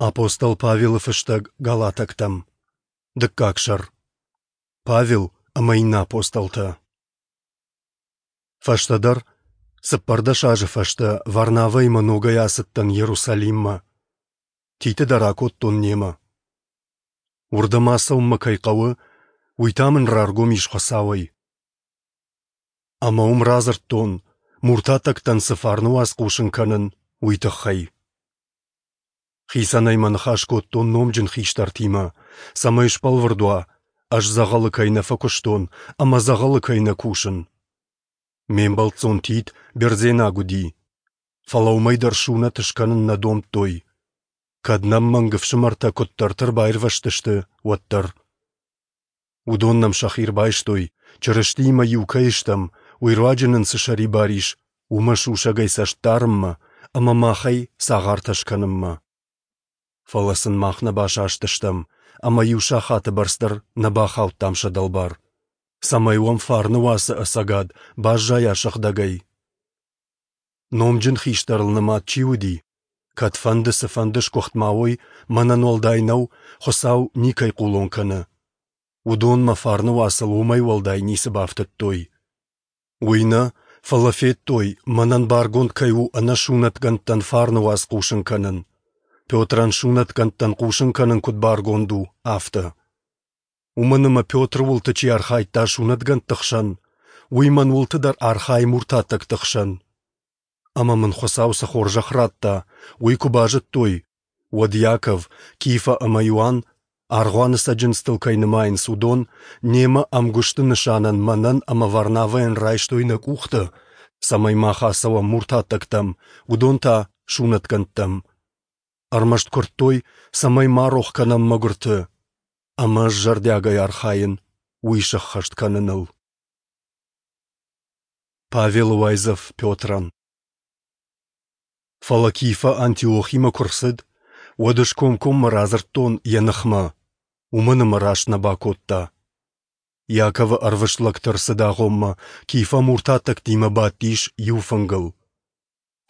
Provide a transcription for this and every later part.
Апостол Павелы фыстӕг Галатӕгтӕм. Дыккаг сӕр. Павел ӕмӕ иннӕ апостолтӕ. Фӕстӕдӕр, 14 азы фӕстӕ, Варнавӕимӕ ногӕй ацыдтӕн Иерусалиммӕ. Титы дӕр акодтон немӕ. Уырдӕм ацӕуын мӕ кӕй хъӕуы, уый та мын раргом ис Хуыцауӕй. Ӕмӕ уым радзырдтон, муртаттӕгтӕн цы фарны уац хъусын кӕнын, уый тыххӕй. Хицӕнӕй мӕ ныхас кодтон номджын хистӕртимӕ, цӕмӕй сбӕлвырд уа, ӕз дзӕгъӕлы кӕй нӕ фӕкуыстон ӕмӕ дзӕгъӕлы кӕй нӕ кусын. Ме мбӕлццон Тит бердзенаг уыди, фӕлӕ уымӕй дӕр сунӕт скӕнын нӕ домдтой, кӕд нӕм мӕнг ӕфсымӕртӕ куыддӕрты ӕрбаирвӕзтысты, уӕддӕр. Уыдон нӕм сӕхи ӕрбайстой, Чырыстиимӕ иу кӕй стӕм, уый руаджы нын цы сӕрибар ис, уымӕ сусӕгӕй цӕст дарынмӕ ӕмӕ махӕй цагъартӕ скӕнынмӕ. Фӕлӕ сын мах нӕ басастыстӕм ӕмӕ иу сахаты бӕрц дӕр нӕ бахаудтам сӕ дӕлбар, цӕмӕй уӕм фарны уацы ӕцӕгад баззайа сыгъдӕгӕй. Номджын хистӕрыл нымад чи уыди, кӕдфӕнды цыфӕнды сгуыхт ма уой, мӕнӕн уӕлдай нӕу, Хуыцау никӕй хъулон кӕны. Уыдон мӕ фарны уацыл уымӕй уӕлдай ницы бафтыдтой. Уый нӕ, фӕлӕ федтой, мӕнӕн баргонд кӕй у ӕнӕсунӕтгӕндтӕн фарны уац хъусын кӕнын. Петрӕн сунӕтгӕндтӕн хъусын кӕнын куыд баргонд у, афтӕ. Уымӕн ӕмӕ Петры уылты чи архайдта сунӕтгӕндты хсӕн, уый мӕн уылты дӕр архайы муртаттӕгты хсӕн. Ӕмӕ мын Хуыцау цы хорзӕх радта, уый куы базыдтой, уӕд Иаков, Кифа ӕмӕ Иоанн, аргъуаны цӕджындзтыл кӕй нымайынц, уыдон, немӕ ӕмгуысты нысанӕн мӕнӕн ӕмӕ Варнавӕйӕн райстой нӕ къухтӕ, цӕмӕй мах ацӕуӕм муртаттӕгтӕм, уыдон та сунӕтгӕндтӕм. Ӕрмӕст куырдтой, цӕмӕй ма рох кӕнӕм мӕгуырты, ӕмӕ ӕз зӕрдиагӕй архайын уый сӕххӕст кӕныныл. Павелы уайдзӕф Петрӕн. Фӕлӕ Кифа Антиохимӕ куы рцыд, уӕд ӕз комкоммӕ радзырдтон йӕ ныхмӕ, уымӕн ӕмӕ раст нӕ бакодта. Иаковы ӕрвыст лӕгты ӕрцыды агъоммӕ Кифа муртаттӕгтимӕ бадтис иу фынгыл.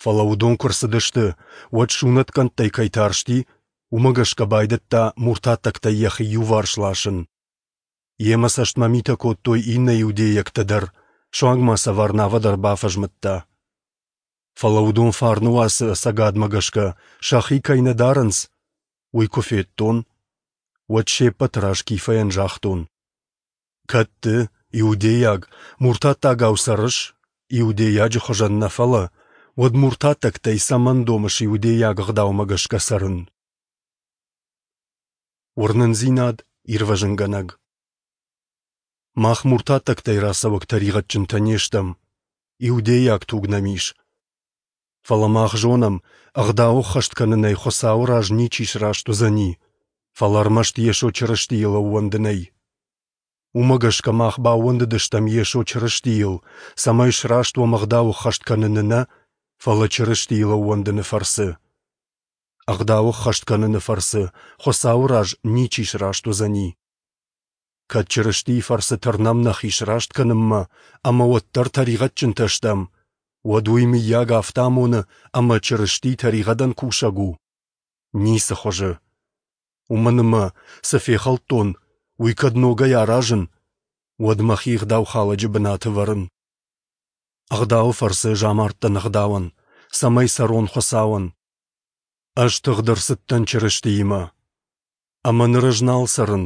Фӕлӕ уыдон куы рцыдысты, уӕд сунӕтгӕндтӕй кӕй тарсти, уымӕ гӕсгӕ байдыдта муртаттӕгтӕй йӕхи иуварс ласын. Йемӕ цӕстмӕ митӕ кодтой иннӕ иудейӕгтӕ дӕр, суанг ма сӕ Варнавӕ дӕр бафӕзмыдта. Фӕлӕ уыдон фарны уацы ӕцӕгадмӕ гӕсгӕ сӕхи кӕй нӕ дарынц, уый куы федтон, уӕд се ппӕты раз Кифӕйӕн загътон: «Кӕд ды, иудейаг, муртаттагау цӕрыс, иудейаджы хуызӕн нӕ фӕлӕ, уӕд муртаттӕгтӕй цӕмӕн домыс иудейаг ӕгъдаумӕ гӕсгӕ цӕрын?» Уырнындзинад ирвӕзынгӕнӕг. Мах муртаттӕгтӕй рацӕуӕг тӕригъӕдджынтӕ не стӕм, иудейаг туг нӕм ис. Фӕлӕ мах зонӕм, ӕгъдау ӕххӕст кӕнынӕй Хуыцауы раз ничи сраст уыдзӕни, фӕлӕ ӕрмӕст Йесо Чырыстийыл ӕууӕндынӕй. Уымӕ гӕсгӕ мах баууӕндыдыстӕм Йесо Чырыстийыл, цӕмӕй сраст уӕм ӕгъдау ӕххӕст кӕныны нӕ, фӕлӕ Чырыстийыл ӕууӕндыны фӕрцы. Ӕгъдау ӕххӕст кӕныны фӕрцы Хуыцауы раз ничи сраст уыдзӕни. Кӕд Чырыстийы фӕрцы тырнӕм нӕхи сраст кӕнынмӕ ӕмӕ уӕддӕр тӕригъӕдджынтӕ стӕм, уӕд уый мыййаг афтӕ амоны, ӕмӕ Чырысти тӕригъӕдӕн кусӕг у? Ницы хуызы. Уымӕн ӕмӕ, цы фехӕлдтон, уый кӕд ногӕй аразын, уӕд мӕхи ӕгъдаухалӕджы бынаты вӕрын. Ӕгъдауы фӕрцы ӕз амардтӕн ӕгъдауӕн, цӕмӕй цӕрон Хуыцауӕн. Ӕз тыгъд ӕрцыдтӕн Чырыстиимӕ. Ӕмӕ ныр ӕз нал цӕрын,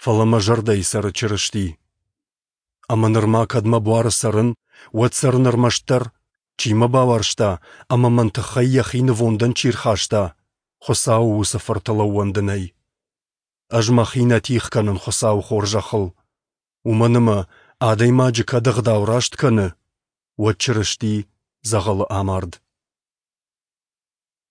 фӕлӕ мӕ зӕрдӕйы цӕры Чырысти. Ӕмӕ нырма кӕд мӕ буары цӕрын, уӕд цӕрын ӕрмӕстдӕр, чи мӕ бауарзта ӕмӕ мӕн тыххӕй йӕхи нывондӕн чи рхаста, Хуыцауы уыцы Фыртыл ӕууӕндынӕй. Ӕз мӕхи нӕ тигъ кӕнын Хуыцауы хорзӕхыл, уымӕн ӕмӕ адӕймаджы кӕд ӕгъдау раст кӕны, уӕд Чырысти дзӕгъӕлы амард.